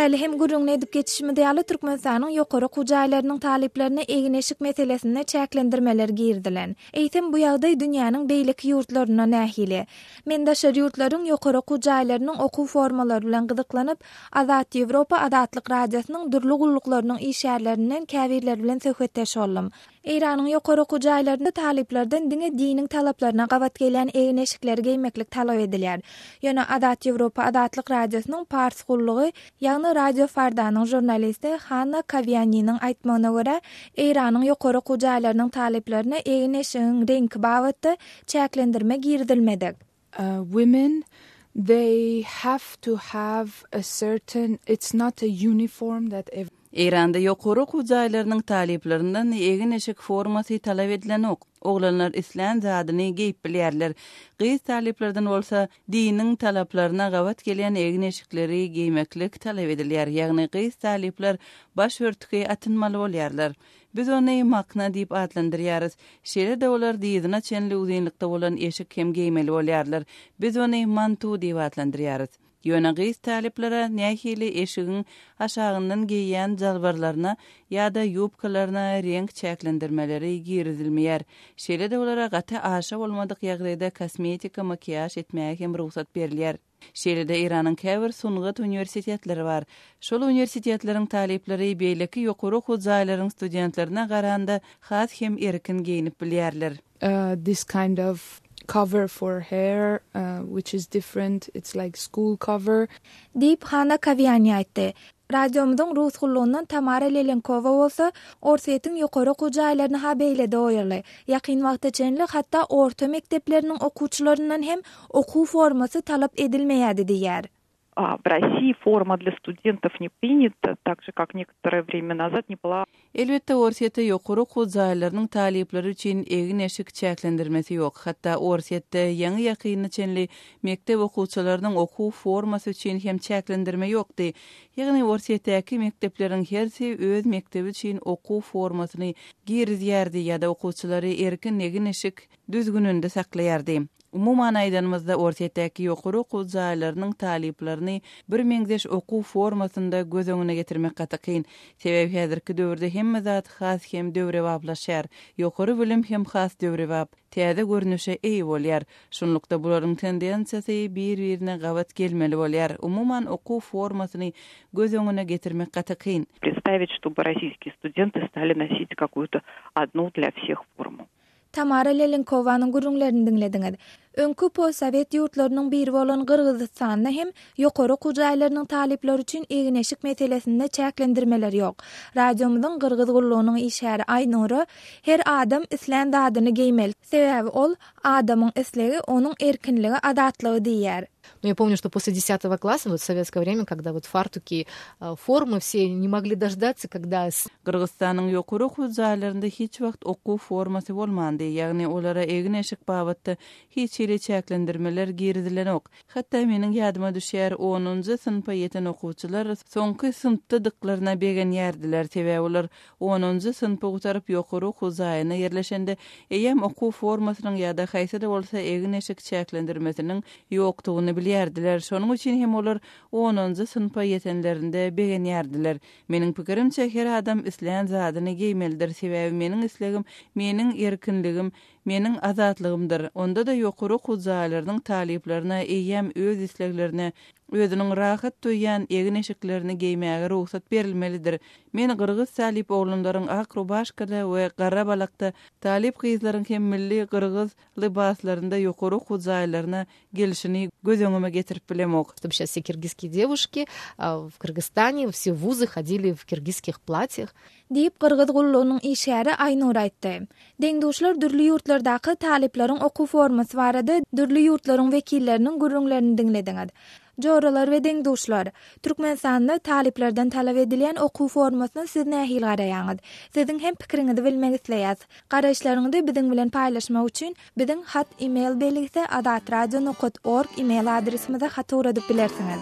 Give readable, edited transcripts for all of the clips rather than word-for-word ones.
Häli hem gürrüňini edip geçişimiz ýaly, Türkmenistanyň ýokary okuw jaýlarynyň talyplaryna egin-eşik meselesinde çäklendirmeler girizilen. Eýsem, bu ýagdaý dünýäniň beýleki ýurtlarynda nähili? Men daşary ýurtlaryň ýokary okuw jaýlarynyň okuw formalary bilen gyzyklanyp, Azat Ýewropa Azatlyk Radiosynyň dürli gulluklarynyň işgärlerinden käbirleri bilen söhbetdeş boldum. Eýranyň ýokary okuw jaýlarynda talyplardan diňe diniň talaplaryna gabat gelýän egin-eşikleri geýmeklik talap edilýär. Ýöne Azat Ýewropa Azatlyk Radiosynyň Pars gullugy, ýagny Radio Fardanyň žurnalisti Hanna Kawianiniň aýtmagyna görä, Eýranyň ýokary okuw jaýlarynyň talyplaryna egin-eşigiň reňki babatda çäklendirme girizilmedik. Women they have to have a certain it's not a uniform that every. Eýranda ýokary okuw jaýlarynyň talyplaryndan egin-eşik formasy talap edilenok. Oglanlar islän zadyny geýip bilýärler. Gyz talyplardan bolsa diniň talaplaryna gabat gelýän egin-eşikleri geýmeklik talap edilýär. Ýagny gyz talyplar baş örtügi atynmaly bolýarlar. Biz ony makna diýip atlandyrýarys. Şeýle-de olar dyzyna çenli uzynlykda bolan eşik hem geýmeli bolýarlar. Biz ony mantu diýip atlandyrýarys. Ýöne gyz talyplara nähili eşigiň aşagyndan geýýän jalbarlaryna ýa-da ýubkalaryna reňk çäklendirmeleri girizilmeýär. Şeýle-de olara gaty aşa bolmadyk ýagdaýda kosmetika makiýaž etmäge hem rugsat berilýär. Şeýle-de Eýranyň käbir sungat uniwersitetleri bar. Şol uniwersitetleriň talyplary beýleki ýokary okuw jaýlaryň studentlerine garanda has hem erkin geýnip bilýärler. This kind of cover for hair which is different, it's like school cover. Diýip, Hana Kawiani aýtdy. Radiomyzyň rus gullugyndan Tamara Lelenkowa bolsa, Orsýetiň ýokary okuw jaýlaryny-ha beýle-de goýaly, ýakyn wagta çenli hatda orta mekdepleriniň okuwçylaryndan hem okuw formasy talap edilmeýärdi diýýär. W Rossii forma dlya studentov ne prinýata, tak že kak nekotoroe vremýa nazad ne byla. Elbetde, Orsýetde ýokary okuw jaýlarynyň talyplary üçin egin-eşik çäklendirmesi ýok. Hatda Orsýetde ýaňy-ýakynda çenli mekdep okuwçylarynyň okuw formasy üçin hem çäklendirme ýokdy. Ýagny Orsýetdäki mekdepleriň hersi öz mekdebi üçin okuw formasyny girizýärdi ýa-da okuwçylary erkin egin-eşik düzgüninde saklaýardy. Umuman aýdanymyzda, Orsýetdäki ýokary okuw jaýlarynyň talyplaryny birmeňzeş okuw formasynda göz öňüne getirmek gaty kyn. Sebäbi häzirki döwürde hemme zat has hem döwrebaplaşýar. Ýokary bilim hem has döwrebap, täze görnüşe eýe bolýar. Şunlukda bularyň tendensiýasy bir-birine gabat gelmeli bolýar. Umuman okuw formasyny göz öňüne getirmek gaty kyn. Представить, чтобы российские студенты стали носить какую-то одну для всех форму. Tamara Lelenkowanyň gürrüňlerini diňlediňiz. Öňki postsowet ýurtlarynyň biri bolan Gyrgyzystanda hem ýokary okuw jaýlarynyň talyplary üçin egin-eşik meselesinde çäklendirmeler ýok. Radiomyzyň Gyrgyz gullugynyň işgäri Aýnura, Her adam islän zadyny geýmeli. Sebäbi ol, adamyň islegi, onuň erkinligi, azatlygy diýýär. Но я помню, что после 10 класса, вот в советское время, когда вот фартуки, формы все не могли дождаться, когда... Gyrgyzystanyň ýokary okuw jaýlarynda hiç wagt okuw formasy bolmandy, ýagny olara egin-eşik babatda hiç hili çäklendirmeler girizilenok. Hatda meniň ýadyma düşýär, onunjy synpa ýeten okuwçylar soňky synpdadyklaryna begenýärdiler, sebäbi olar Onunjy synpy gutaryp ýokary okuw jaýyna ýerleşende, eýýäm okuw formasynyň ýa-da haýsy-da bolsa egin-eşik çäklendirmesiniň ýokdugyny bilýärdiler. Şonuň üçin hem olar onunjy synpa ýetenlerinde begenýärdiler. Meniň pikirimçe, her adam islän zadyny geýmelidir, sebäbi meniň islegim, meniň erkinligim, meniň azatlygymdyr. Onda-da ýokary okuw jaýlarynyň talyplaryna eýýäm öz isleglerine, özüniň rahat duýýan egin-eşiklerini geýmäge rugsat berilmelidir. Men gyrgyz talyp oglanlaryň ak rubaşkada we gara balakda, talyp gyzlaryň hem milli gyrgyz lybaslarynda ýokary okuw jaýlaryna gelşini göz öňüme getirip bilemok. Чтобы сейчас все киргизские девушки в Кыргызстане, все вузы ходили в киргизских платьях. Diýip, gyrgyz gullugynyň işgäri Aýnur aýtdy. Deň-duşlar dürli ýurtlardaky talyplaryň okuw formasy barada dürli ýurtlaryň wekilleriniň gürrüňlerini diňlediňiz. Joralar we deň-duşlar, Türkmenistanda talyplardan talap edilýän okuw formasyna siz nähili garaýaňyz? Siziň hem pikiriňizi bilmek isleýäs. Garaýyşlaryňyzy biziň bilen paýlaşmak üçin biziň hat email belgisi azatradio nokat org email adresimize hat ugradyp bilersiňiz.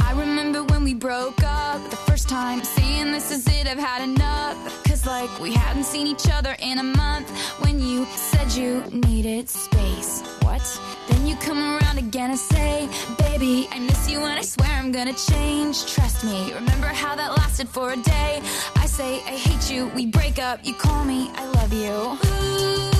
I remember when we broke up the first time saying this is it I've had enough Cause like we hadn't seen each other in a month when you said you needed space. lot. Then you come around again and say, Baby, I miss you and I swear I'm gonna change. Trust me, remember how that lasted for a day? I say, I hate you, we break up, you call me, I love you. Ooh.